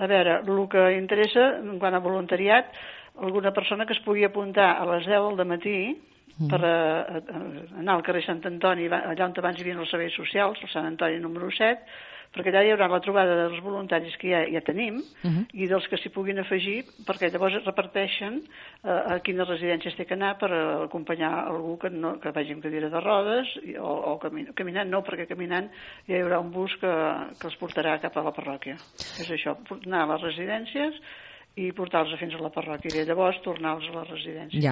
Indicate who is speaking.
Speaker 1: A veure, el que interessa, en quant a voluntariat, alguna persona que es pugui apuntar a les 10 del matí per anar al carrer Sant Antoni, allà on abans hi havia els serveis socials, el Sant Antoni número 7, perquè allà hi haurà la trobada dels voluntaris que ja tenim i dels que s'hi puguin afegir, perquè llavors es reparteixen a quines residències té que anar per acompanyar algú que vagi amb cadira de rodes o caminant, no, perquè caminant ja hi haurà un bus que els portarà cap a la parròquia. És això, anar a les residències i portar-los fins a la parròquia i llavors tornar-los a les residències.
Speaker 2: Ja.